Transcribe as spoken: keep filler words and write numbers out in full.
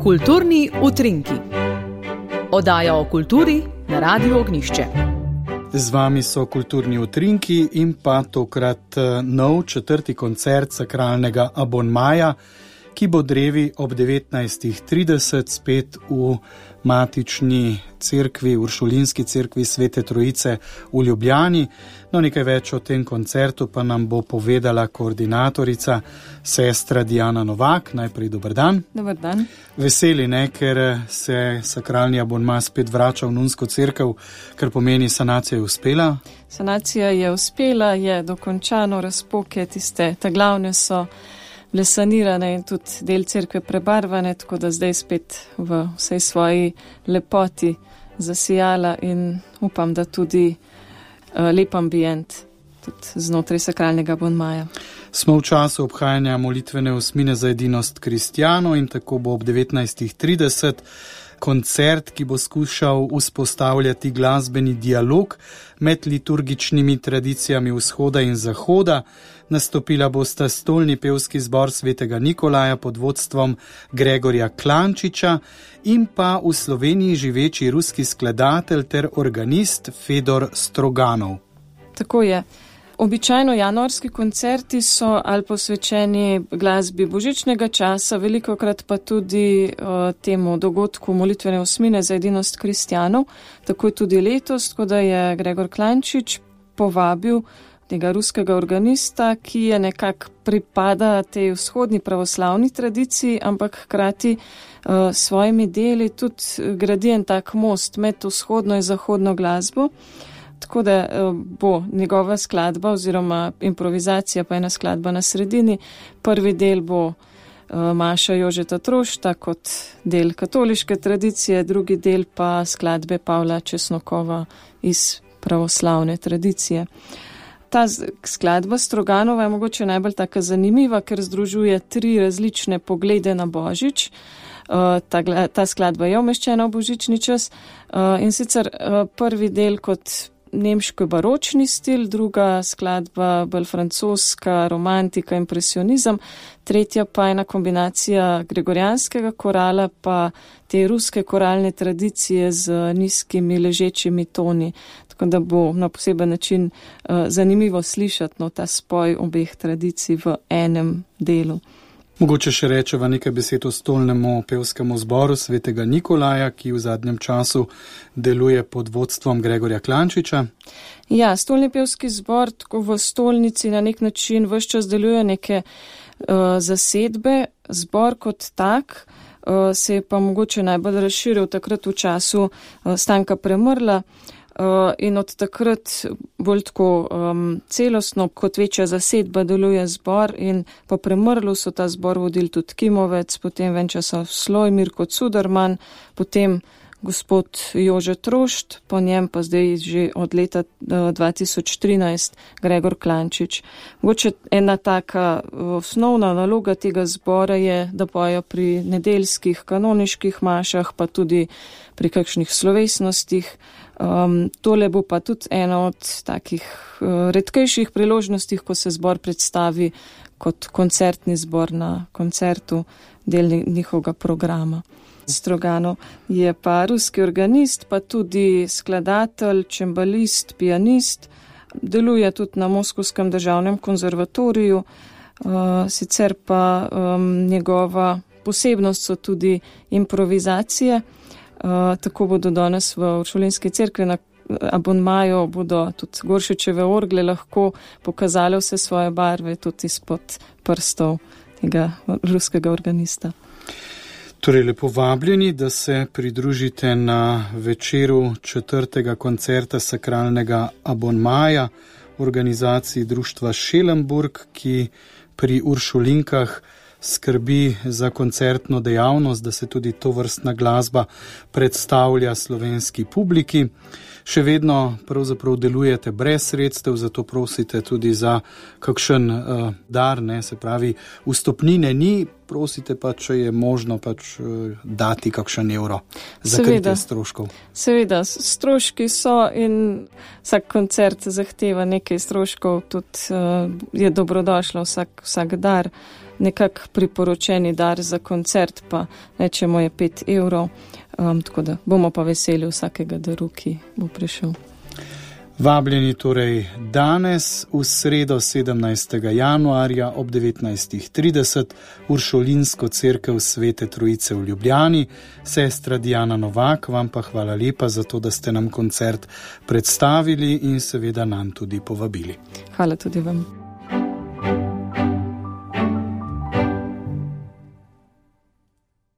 Kulturni utrinki. Oddaja o kulturi na Radiu Ognjišče. Z vami so kulturni utrinki in pa tokrat nov četrti koncert sakralnega abonmaja, ki bo drevi ob devetnajstih trideset spet v matični cerkvi, uršulinski cerkvi Svete Trojice v Ljubljani. No, nekaj več o tem koncertu pa nam bo povedala koordinatorica, sestra Diana Novak. Najprej dober dan. Dober dan. Veseli, ne, ker se sakralni abonma spet vrača v nunsko cerkev, kar pomeni, sanacija je uspela? Sanacija je uspela, je dokončano, razpoke tiste, ta glavne so bile sanirane in tudi del cerkve prebarvane, tako da zdaj spet v vsej svoji lepoti zasijala in upam, da tudi uh, lep ambient tudi znotraj sakralnega abonmaja. Smo v času obhajanja molitvene osmine za edinost kristjanov in tako bo ob devetnajstih trideset koncert, ki bo skušal vzpostavljati glasbeni dialog med liturgičnimi tradicijami vzhoda in zahoda. Nastopila bosta stolni pevski zbor Svetega Nikolaja pod vodstvom Gregorja Klančiča in pa v Sloveniji živeči ruski skladatelj ter organist Fedor Stroganov. Tako je. Običajno januarski koncerti so ali posvečeni glasbi božičnega časa, velikokrat pa tudi uh, temu dogodku molitvene osmine za edinost kristjanov. Tako je tudi letos, tako da je Gregor Klančič povabil tega ruskega organista, ki je nekako pripada tej vzhodni pravoslavni tradiciji, ampak hkrati uh, s svojimi deli tudi gradi en tak most med vzhodno in zahodno glasbo. Tako da bo njegova skladba oziroma improvizacija pa ena skladba na sredini. Prvi del bo Maša Jožeta Trošta kot del katoliške tradicije, drugi del pa skladbe Pavla Česnokova iz pravoslavne tradicije. Ta skladba Stroganova je mogoče najbolj taka zanimiva, ker združuje tri različne poglede na Božič. Ta, ta skladba je umeščena v božični čas in sicer prvi del kot nemško baročni stil, druga skladba bolj francoska, romantika, impresionizem, tretja pa ena kombinacija gregorijanskega korala pa te ruske koralne tradicije z nizkimi ležečimi toni. Tako da bo na poseben način uh, zanimivo slišati no, ta spoj obeh tradicij v enem delu. Mogoče še rečeva nekaj besed o stolnemu pevskemu zboru Svetega Nikolaja, ki v zadnjem času deluje pod vodstvom Gregorja Klančiča. Ja, stolni pevski zbor tako v stolnici na nek način ves čas deluje neke uh, zasedbe. Zbor kot tak uh, se je pa mogoče najbolj razširil takrat v času uh, Stanka Premrla. Uh, in od takrat bolj tako um, celostno kot večja zasedba deluje zbor in po Premrlu so ta zbor vodili tudi Kimovec, potem Venčaslav Slojmir kot Suderman, potem gospod Jože Trošt, po njem pa zdaj že od leta uh, dva tisoč trinajst Gregor Klančič. Mogoče ena taka osnovna naloga tega zbora je, da pojo pri nedeljskih kanoniških mašah, pa tudi pri kakšnih slovesnostih. Um, tole bo pa tudi ena od takih uh, redkejših priložnostih, ko se zbor predstavi kot koncertni zbor na koncertu del njihovega programa. Stroganov je pa ruski organist, pa tudi skladatelj, čembalist, pianist, deluje tudi na Moskovskem državnem konzervatoriju, uh, sicer pa um, njegova posebnost so tudi improvizacije. Uh, tako bodo danes v uršulinski cerkvi na abonmaju bodo tudi Goršičeve orgle lahko pokazale vse svoje barve tudi izpod prstov tega ruskega organista. Torej, lepo vabljeni, da se pridružite na večeru četrtega koncerta sakralnega abonmaja v organizaciji društva Šelenburg, ki pri Uršulinkah skrbi za koncertno dejavnost, da se tudi to vrstna glasba predstavlja slovenski publiki. Še vedno pravzaprav delujete brez sredstev, zato prosite tudi za kakšen uh, dar, ne, se pravi, vstopnine ni, prosite pa, če je možno pač uh, dati kakšen evro za kritje stroškov. Seveda, stroški so in vsak koncert zahteva nekaj stroškov, tudi uh, je dobrodošlo vsak, vsak dar, nekak priporočeni dar za koncert pa rečemo je pet evrov. Um, tako da bomo pa veseli vsakega daru, ki bo prišel. Vabljeni torej danes v sredo sedemnajstega januarja ob devetnajstih trideset Uršulinsko cerkev Svete Trojice v Ljubljani. Sestra Diana Novak, vam pa hvala lepa za to, da ste nam koncert predstavili in seveda nam tudi povabili. Hvala tudi vam.